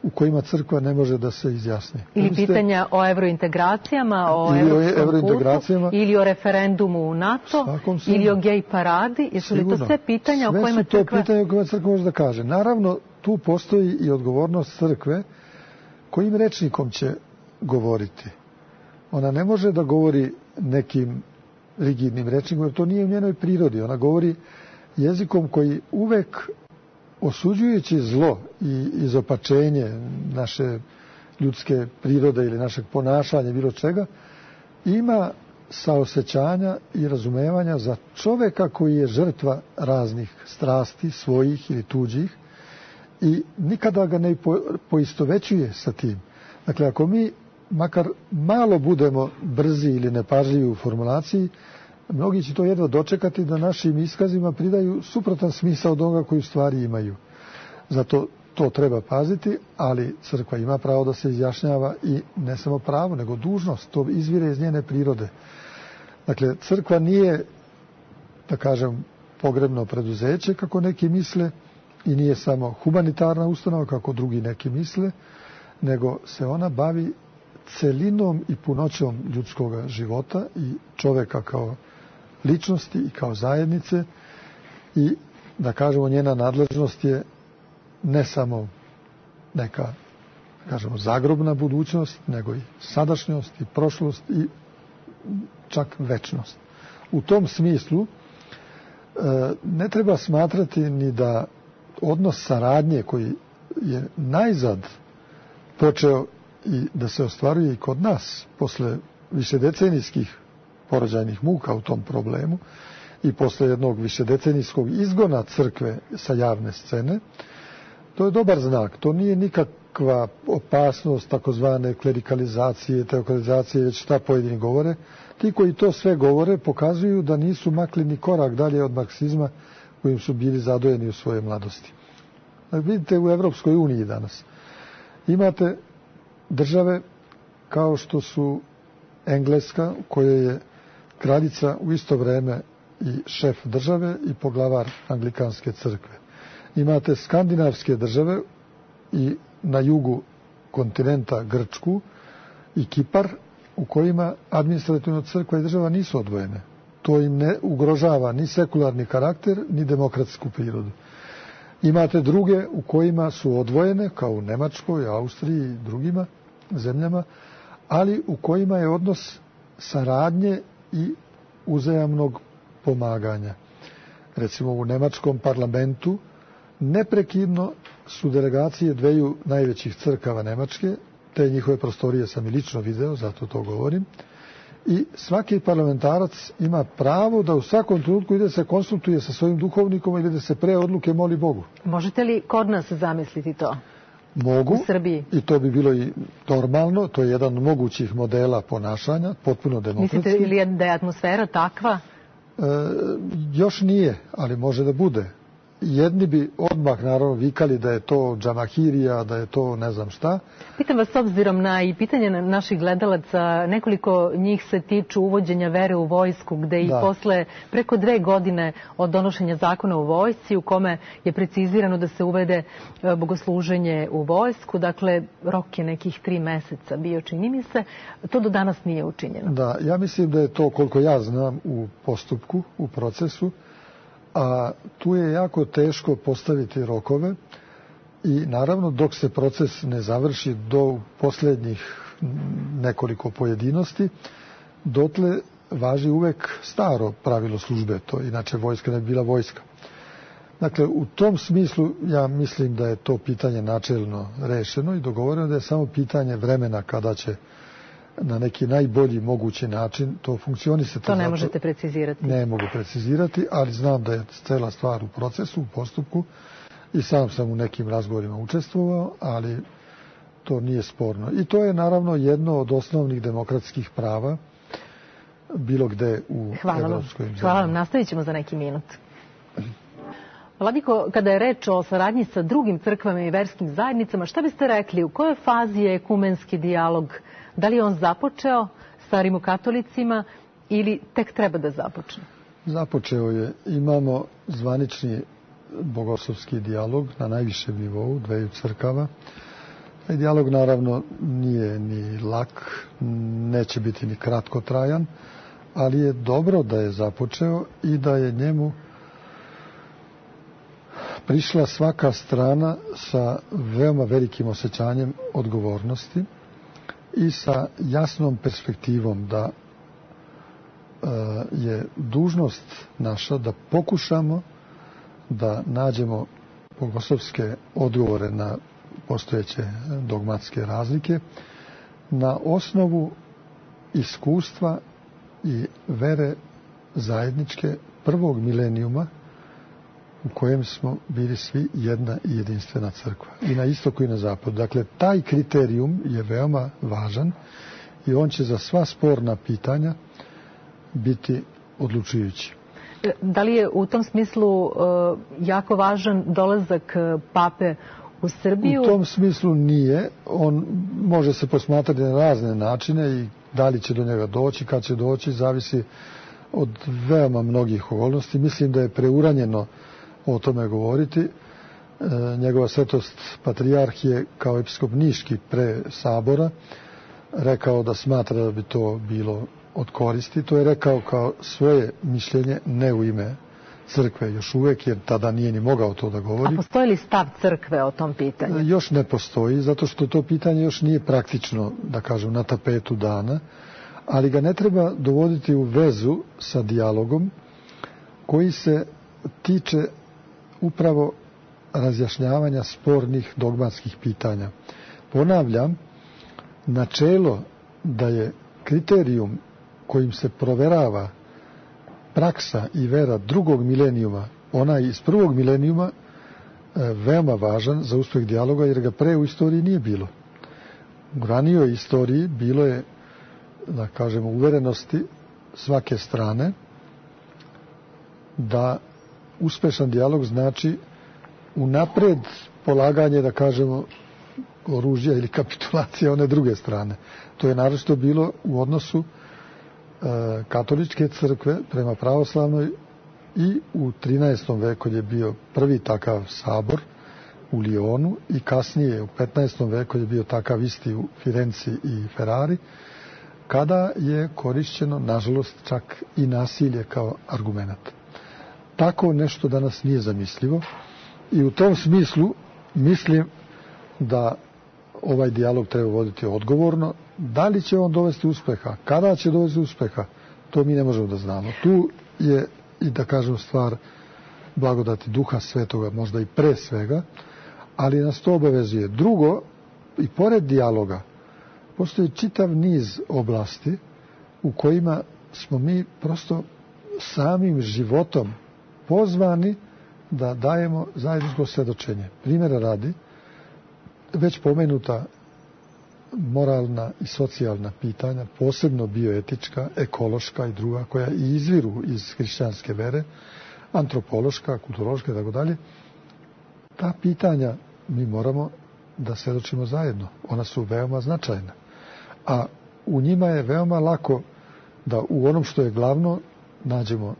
Speaker 2: u kojima crkva ne može da se izjasni.
Speaker 1: Ili pitanja o evrointegracijama, o evropskom putu, ili o referendumu u NATO, ili o gej paradi. Jesu li to sve pitanja o kojima crkva...
Speaker 2: Sve su to pitanja o kojima crkva može da kaže. Naravno, tu postoji i odgovornost crkve kojim rečnikom će govoriti. Ona ne može da govori nekim rigidnim rečnikom, jer to nije u njenoj prirodi. Ona govori jezikom koji uvek, osuđujući zlo i izopačenje naše ljudske prirode ili našeg ponašanja, bilo čega, ima saosećanja i razumevanja za čoveka koji je žrtva raznih strasti, svojih ili tuđih, i nikada ga ne poistovećuje sa tim. Dakle, ako mi makar malo budemo brzi ili nepažljivi u formulaciji, mnogi će to jedva dočekati da našim iskazima pridaju suprotan smisao od onoga koji u stvari imaju. Zato to treba paziti, ali crkva ima pravo da se izjašnjava i ne samo pravo, nego dužnost. To izvire iz njene prirode. Dakle, crkva nije, da kažem, pogrebno preduzeće, kako neki misle, i nije samo humanitarna ustanova, kako drugi neki misle, nego se ona bavi celinom i punoćom ljudskog života i čoveka kao ličnosti i kao zajednice, i da kažemo njena nadležnost je ne samo neka, da kažemo, zagrobna budućnost, nego i sadašnjost i prošlost i čak večnost. U tom smislu ne treba smatrati ni da odnos saradnje koji je najzad počeo i da se ostvaruje i kod nas posle višedecenijskih porođajnih muka u tom problemu i posle jednog višedecenijskog izgona crkve sa javne scene, to je dobar znak. To nije nikakva opasnost takozvane klerikalizacije, teokratizacije, već šta pojedini govore. Ti koji to sve govore pokazuju da nisu makli ni korak dalje od marksizma kojim su bili zadojeni u svojoj mladosti. Vidite, u Evropskoj uniji danas imate države kao što su Engleska, u kojoj je kraljica u isto vreme i šef države i poglavar anglikanske crkve. Imate skandinavske države i na jugu kontinenta Grčku i Kipar, u kojima administrativno crkva i država nisu odvojene. To im ne ugrožava ni sekularni karakter, ni demokratsku prirodu. Imate druge u kojima su odvojene, kao u Nemačkoj, Austriji i drugima zemljama, ali u kojima je odnos saradnje i uzajamnog pomaganja. Recimo u nemačkom parlamentu neprekidno su delegacije dveju najvećih crkava Nemačke, te njihove prostorije sam i lično video, zato to govorim, i svaki parlamentarac ima pravo da u svakom trenutku ide se konsultuje sa svojim duhovnikom ili da se pre odluke moli Bogu.
Speaker 1: Možete li kod nas zamisliti to?
Speaker 2: Mogu,
Speaker 1: u Srbiji?
Speaker 2: I to bi bilo i normalno, to je jedan od mogućih modela ponašanja, potpuno demokratski.
Speaker 1: Mislite li da je atmosfera takva?
Speaker 2: Još nije, ali može da bude. Jedni bi odmah naravno vikali da je to džamahirija, da je to ne znam šta.
Speaker 1: Pitam vas, s obzirom na i pitanje naših gledalaca, nekoliko njih se tiču uvođenja vere u vojsku, gde i posle preko 2 godine od donošenja zakona u vojsci, u kome je precizirano da se uvede bogosluženje u vojsku, dakle rok je nekih 3 meseca bio, čini mi se, to do danas nije učinjeno.
Speaker 2: Da, ja mislim da je to, koliko ja znam, u postupku, u procesu, a tu je jako teško postaviti rokove i naravno dok se proces ne završi do posljednjih nekoliko pojedinosti, dotle važi uvek staro pravilo službe, to inače vojska ne bi bila vojska. Dakle, u tom smislu ja mislim da je to pitanje načelno rešeno i dogovoreno, da je samo pitanje vremena kada će na neki najbolji mogući način to funkcionisati.
Speaker 1: To ne možete precizirati.
Speaker 2: Ne mogu precizirati, ali znam da je cela stvar u procesu, u postupku i sam u nekim razgovorima učestvovao, ali to nije sporno. I to je naravno jedno od osnovnih demokratskih prava bilo gde u evropskoj zemlji.
Speaker 1: Hvala vam, nastavit ćemo za neki minut. Vladiko, kada je reč o saradnji sa drugim crkvama i verskim zajednicama, šta biste rekli, u kojoj fazi je ekumenski dijalog? Da li je on započeo sa rimokatolicima ili tek treba da započne?
Speaker 2: Započeo je. Imamo zvanični bogoslovski dijalog na najvišem nivou dveju crkava. Taj dijalog naravno nije ni lak, neće biti ni kratkotrajan, ali je dobro da je započeo i da je njemu prišla svaka strana sa veoma velikim osjećanjem odgovornosti i sa jasnom perspektivom da je dužnost naša da pokušamo da nađemo bogoslovske odgovore na postojeće dogmatske razlike na osnovu iskustva i vere zajedničke prvog milenijuma u kojem smo bili svi jedna i jedinstvena crkva. I na istoku i na zapadu. Dakle, taj kriterijum je veoma važan i on će za sva sporna pitanja biti odlučujući.
Speaker 1: Da li je u tom smislu jako važan dolazak pape u Srbiju?
Speaker 2: U tom smislu nije. On može se posmatrati na razne načine i da li će do njega doći, kad će doći, zavisi od veoma mnogih okolnosti. Mislim da je preuranjeno o tome govoriti. Njegova svetost patrijarh je kao episkop Niški pre sabora rekao da smatra da bi to bilo od koristi. To je rekao kao svoje mišljenje, ne u ime crkve još uvek, jer tada nije ni mogao to da govori.
Speaker 1: A postoji li stav crkve o tom pitanju?
Speaker 2: Još ne postoji, zato što to pitanje još nije praktično, da kažem, na tapetu dana, ali ga ne treba dovoditi u vezu sa dijalogom koji se tiče upravo razjašnjavanja spornih dogmatskih pitanja. Ponavljam, načelo da je kriterijum kojim se proverava praksa i vera drugog milenijuma, onaj iz prvog milenijuma, veoma važan za uspeh dijaloga, jer ga pre u istoriji nije bilo. U ranijoj istoriji bilo je, da kažemo, uverenosti svake strane da uspešan dijalog znači unapred polaganje, da kažemo, oružja ili kapitulacije one druge strane. To je naročito bilo u odnosu katoličke crkve prema pravoslavnoj i u 13. veku je bio prvi takav sabor u Lionu i kasnije u 15. veku je bio takav isti u Firenci i Ferrari, kada je korišćeno, nažalost, čak i nasilje kao argument. Tako nešto danas nije zamislivo i u tom smislu mislim da ovaj dijalog treba voditi odgovorno. Da li će on dovesti uspeha, kada će dovesti uspeha, to mi ne možemo da znamo. Tu je i, da kažem, stvar blagodati Duha Svetoga, možda i pre svega, ali nas to obavezuje. Drugo, i pored dijaloga, postoji čitav niz oblasti u kojima smo mi prosto samim životom pozvani da dajemo zajedničko svedočenje. Primjera radi, već pomenuta moralna i socijalna pitanja, posebno bioetička, ekološka i druga, koja i izviru iz hrišćanske vere, antropološka, kulturološka i tako dalje, ta pitanja mi moramo da svedočimo zajedno. Ona su veoma značajna. A u njima je veoma lako da u onom što je glavno nađemo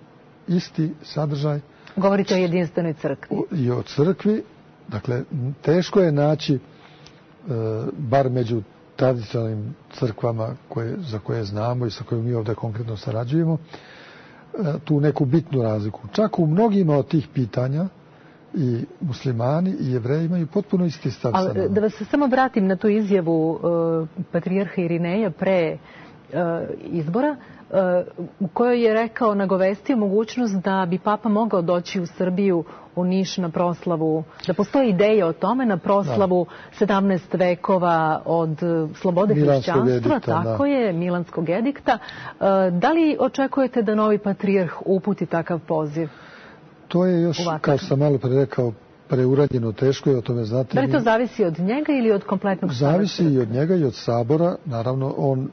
Speaker 2: isti sadržaj.
Speaker 1: Govorite o jedinstvenoj crkvi.
Speaker 2: I o crkvi. Dakle, teško je naći, bar među tradicionalnim crkvama za koje znamo i sa kojima mi ovdje konkretno sarađujemo, tu neku bitnu razliku. Čak u mnogima od tih pitanja i muslimani i jevreji imaju potpuno isti stav.
Speaker 1: Ali da vas samo vratim na tu izjavu patrijarha Irineja pre izbora, u kojoj je rekao, nagovestio mogućnost da bi Papa mogao doći u Srbiju, u Niš, na proslavu, da postoji ideja o tome, na proslavu 17 vekova od slobode hrišćanstva, tako je, Milanskog edikta. Da li očekujete da novi patrijarh uputi takav poziv?
Speaker 2: To je još, kao sam malo pre rekao, preuranjeno, teško je o tome znati.
Speaker 1: Da li to zavisi od njega ili od kompletnog sabora?
Speaker 2: Zavisi i od njega i od sabora. Naravno, on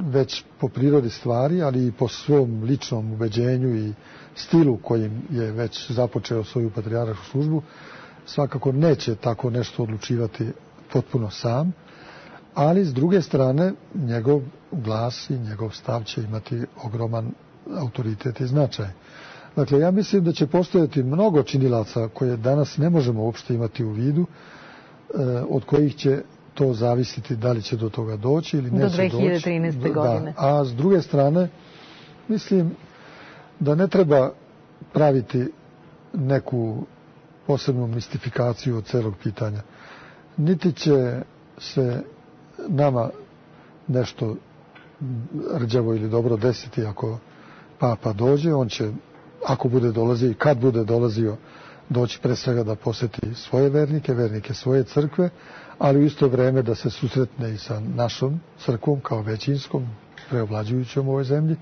Speaker 2: već po prirodi stvari, ali i po svom ličnom ubeđenju i stilu kojim je već započeo svoju patrijarhašku službu, svakako neće tako nešto odlučivati potpuno sam, ali s druge strane njegov glas i njegov stav će imati ogroman autoritet i značaj. Dakle, ja mislim da će postojati mnogo činilaca koje danas ne možemo uopšte imati u vidu, od kojih će to zavisiti da li će do toga doći ili neće doći.
Speaker 1: Do 2013. godine.
Speaker 2: A s druge strane, mislim da ne treba praviti neku posebnu mistifikaciju od celog pitanja. Niti će se nama nešto rđavo ili dobro desiti ako Papa dođe. On će, ako bude dolazio i kad bude dolazio, doći pre svega da poseti svoje vernike svoje crkve, ali u isto vreme da se susretne i sa našom crkvom kao većinskom, preovlađujućom u ovoj zemlji.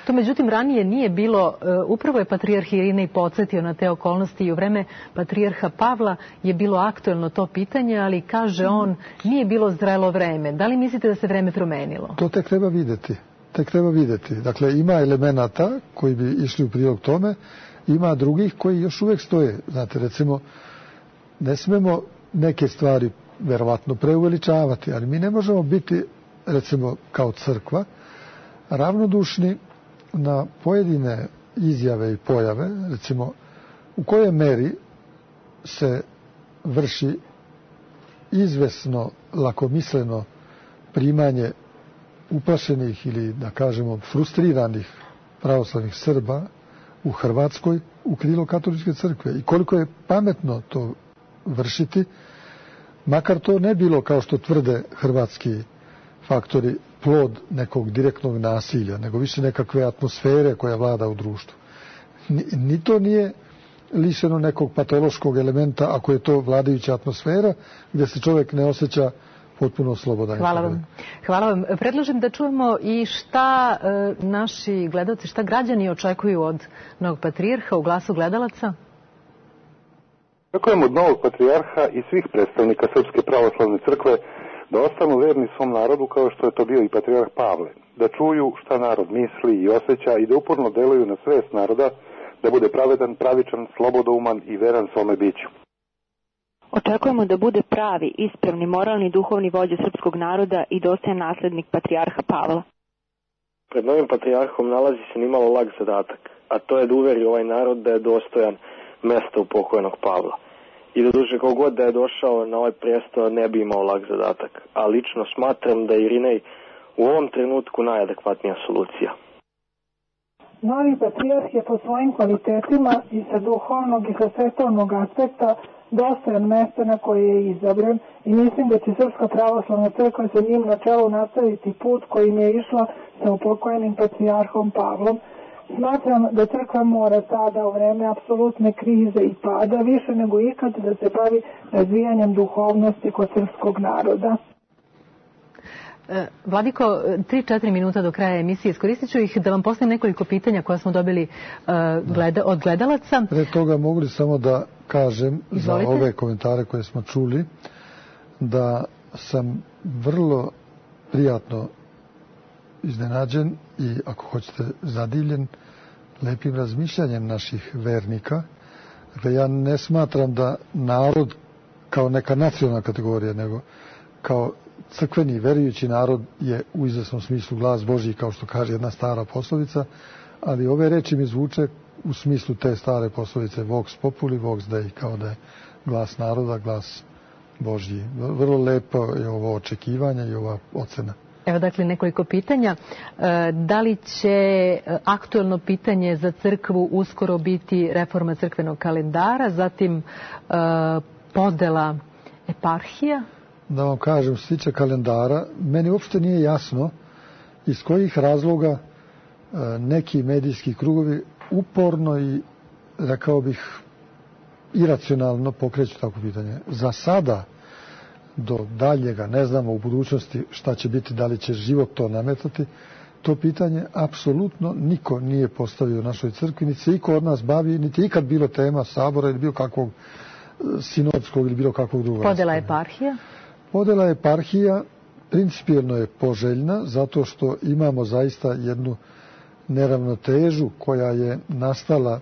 Speaker 1: To međutim ranije nije bilo, upravo je patrijarh Irinej podsjetio na te okolnosti i u vreme patrijarha Pavla je bilo aktuelno to pitanje, ali kaže on, nije bilo zrelo vreme. Da li mislite da se vreme promenilo?
Speaker 2: To tek treba vidjeti. Dakle, ima elemenata koji bi išli u prilog tome, ima drugih koji još uvijek stoje. Znate, recimo, ne smemo neke stvari verovatno preuveličavati, ali mi ne možemo biti, recimo kao crkva, ravnodušni na pojedine izjave i pojave, recimo u kojoj meri se vrši izvesno, lakomisleno primanje uplašenih ili, da kažemo, frustriranih pravoslavnih Srba u Hrvatskoj u krilo katoličke crkve i koliko je pametno to vršiti, makar to ne bilo, kao što tvrde hrvatski faktori, plod nekog direktnog nasilja, nego više nekakve atmosfere koja vlada u društvu. Ni to nije lišeno nekog patološkog elementa, ako je to vladajuća atmosfera gdje se čovjek ne osjeća potpuno slobodan.
Speaker 1: Hvala vam. Predlažem da čujemo i šta naši gledalci, šta građani očekuju od novog patrijarha u glasu gledalaca.
Speaker 4: Očekujem od novog patrijarha i svih predstavnika Srpske pravoslavne crkve da ostanu verni svom narodu kao što je to bio i patrijarh Pavle. Da čuju šta narod misli i osjeća i da uporno deluju na svest naroda, da bude pravedan, pravičan, slobodouman i veran svome biću.
Speaker 5: Očekujemo da bude pravi, ispravni, moralni, duhovni vođa srpskog naroda i dostojan naslednik patrijarha Pavla.
Speaker 6: Pred novim patrijarhom nalazi se nimalo lag zadatak, a to je da uveri ovaj narod da je dostojan mesta u pokojnog Pavla. I da duže kogod da je došao na ovaj presto ne bi imao lag zadatak, a lično smatram da je Irinej u ovom trenutku najadekvatnija solucija.
Speaker 7: Novi patrijarh je po svojim kvalitetima i sa duhovnog i sa svetovnog aspekta dostojan mesta na koje je izabran i mislim da će Srpska pravoslavna crkva sa njim na čelu nastaviti put kojim je išla sa upokojenim patrijarhom Pavlom. Smatram da crkva mora sada u vreme apsolutne krize i pada više nego ikad da se bavi razvijanjem duhovnosti kod srpskog naroda.
Speaker 1: Vladiko, 3-4 minuta do kraja emisije. Iskoristit ću ih da vam postavim nekoliko pitanja koja smo dobili od gledalaca.
Speaker 2: Pre toga mogu li samo da kažem za ove komentare koje smo čuli da sam vrlo prijatno iznenađen i, ako hoćete, zadivljen lepim razmišljanjem naših vernika. Dakle, ja ne smatram da narod kao neka nacionalna kategorija, nego kao crkveni, verujući narod je u izvesnom smislu glas Božji, kao što kaže jedna stara poslovica, ali ove reči mi zvuče u smislu te stare poslovice vox populi, vox dei, kao da je glas naroda, glas Božji. Vrlo lepo je ovo očekivanje i ova ocena.
Speaker 1: Evo dakle nekoliko pitanja. Da li će aktuelno pitanje za crkvu uskoro biti reforma crkvenog kalendara, zatim podela eparhija?
Speaker 2: Da vam kažem, što se tiče kalendara, meni uopšte nije jasno iz kojih razloga neki medijski krugovi uporno i, rekao bih, iracionalno pokreću tako pitanje. Za sada, do daljega, ne znamo u budućnosti šta će biti, da li će život to nametati, to pitanje apsolutno niko nije postavio u našoj crkvi, niti se iko od nas bavi, niti je ikad bilo tema sabora ili bilo kakvog sinodskog ili bilo kakvog drugog.
Speaker 1: Podela eparhija?
Speaker 2: Podela eparhija principijelno je poželjna zato što imamo zaista jednu neravnotežu koja je nastala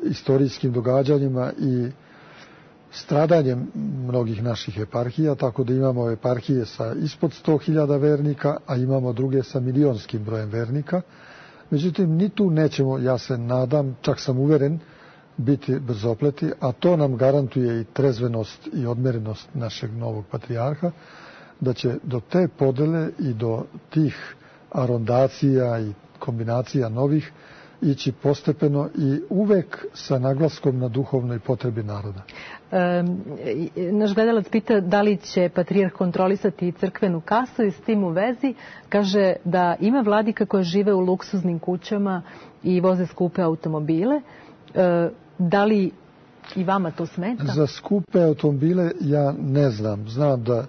Speaker 2: istorijskim događanjima i stradanjem mnogih naših eparhija, tako da imamo eparhije sa ispod 100.000 vernika, a imamo druge sa milionskim brojem vernika. Međutim, ni tu nećemo, ja se nadam, čak sam uveren, biti brzopleti, a to nam garantuje i trezvenost i odmerenost našeg novog patrijarha, da će do te podele i do tih arondacija i kombinacija novih ići postepeno i uvek sa naglaskom na duhovnoj potrebi naroda.
Speaker 1: Naš gledalac pita da li će patrijarh kontrolisati crkvenu kasu i s tim u vezi kaže da ima vladika koje žive u luksuznim kućama i voze skupe automobile. Da li i vama to smeta? Za
Speaker 2: skupe automobile ja ne znam. Znam da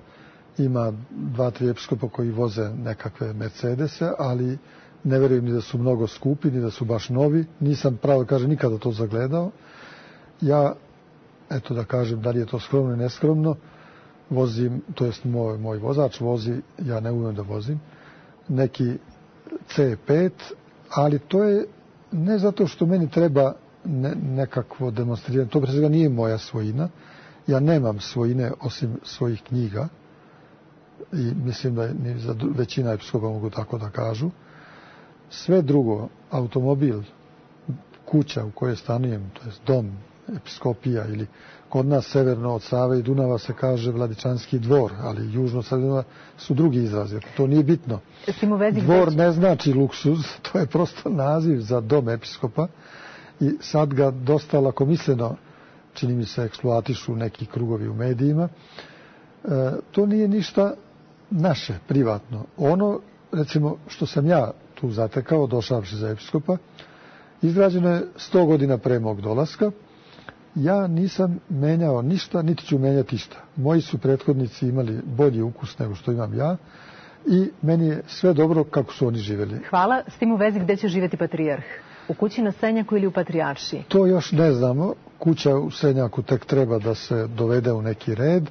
Speaker 2: ima 2-3 episkopa koji voze nekakve Mercedese, ali ne verujem ni da su mnogo skupi, ni da su baš novi. Nisam, pravo kažem, nikada to zagledao. Ja, eto da kažem, da li je to skromno i neskromno, vozim, to jest moj vozač vozi, ja ne umem da vozim, neki C5, ali to je ne zato što meni treba nekakvo demonstriranje, to pre svega nije moja svojina Ja nemam svojine osim svojih knjiga i mislim da ni za većina episkopa mogu tako da kažu. Sve drugo, automobil, kuća u kojoj stanujem, to je dom, episkopija ili kod nas severno od Save i Dunava se kaže Vladičanski dvor, ali južno od Save i Dunava su drugi izrazi. To nije bitno. Dvor ne znači luksuz, to je prosto naziv za dom episkopa i sad ga dosta lakomisleno, čini mi se, eksploatišu neki krugovi u medijima. To nije ništa naše, privatno. Ono, recimo, što sam ja tu zatekao, došavši za episkopa, izgrađeno je 100 godina pre mog dolaska. Ja nisam menjao ništa, niti ću menjati ništa. Moji su prethodnici imali bolji ukus nego što imam ja i meni je sve dobro kako su oni živjeli.
Speaker 1: Hvala. S tim u vezi, gde će živjeti patrijarh? U kući na Senjaku ili u Patrijaršiji?
Speaker 2: To još ne znamo. Kuća u Senjaku tek treba da se dovede u neki red.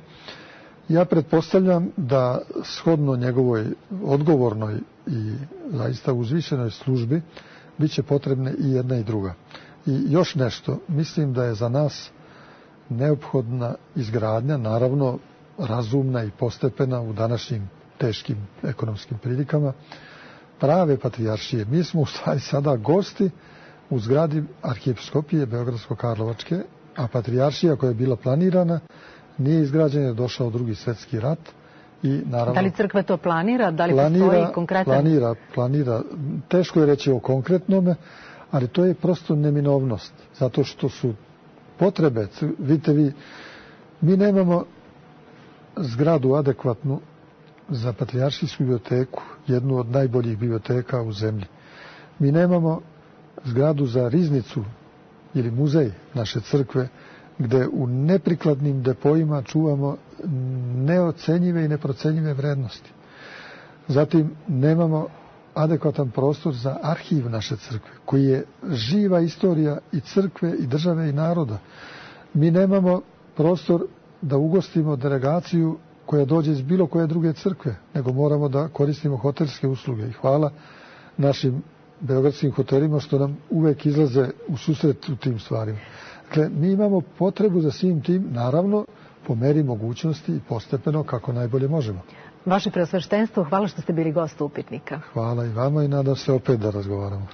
Speaker 2: Ja pretpostavljam da shodno njegovoj odgovornoj i zaista uzvišenoj službi bit će potrebne i jedna i druga. I još nešto, mislim da je za nas neophodna izgradnja, naravno razumna i postepena u današnjim teškim ekonomskim prilikama, prave patrijaršije. Mi smo u stvari sada gosti u zgradi arhijepiskopije Beogradsko-Karlovačke, a patrijaršija koja je bila planirana nije izgrađena, je došao Drugi svjetski rat. I naravno,
Speaker 1: da li crkva to planira? Da li postoji konkretan?
Speaker 2: Planira. Teško je reći o konkretnome, ali to je prosto neminovnost. Zato što su potrebe, vidite vi, mi nemamo zgradu adekvatnu za patrijaršijsku biblioteku, jednu od najboljih biblioteka u zemlji. Mi nemamo zgradu za riznicu ili muzej naše crkve, gde u neprikladnim depojima čuvamo neocenjive i neprocenjive vrednosti. Zatim nemamo adekvatan prostor za arhiv naše crkve, koji je živa istorija i crkve i države i naroda. Mi nemamo prostor da ugostimo delegaciju koja dođe iz bilo koje druge crkve, nego moramo da koristimo hotelske usluge. I hvala našim beogradskim hotelima što nam uvek izlaze u susret u tim stvarima. Dakle, mi imamo potrebu za svim tim, naravno, po meri mogućnosti i postepeno kako najbolje možemo.
Speaker 1: Vaše preosveštenstvo, hvala što ste bili gost Upitnika.
Speaker 2: Hvala i vama i nadam se opet da razgovaramo.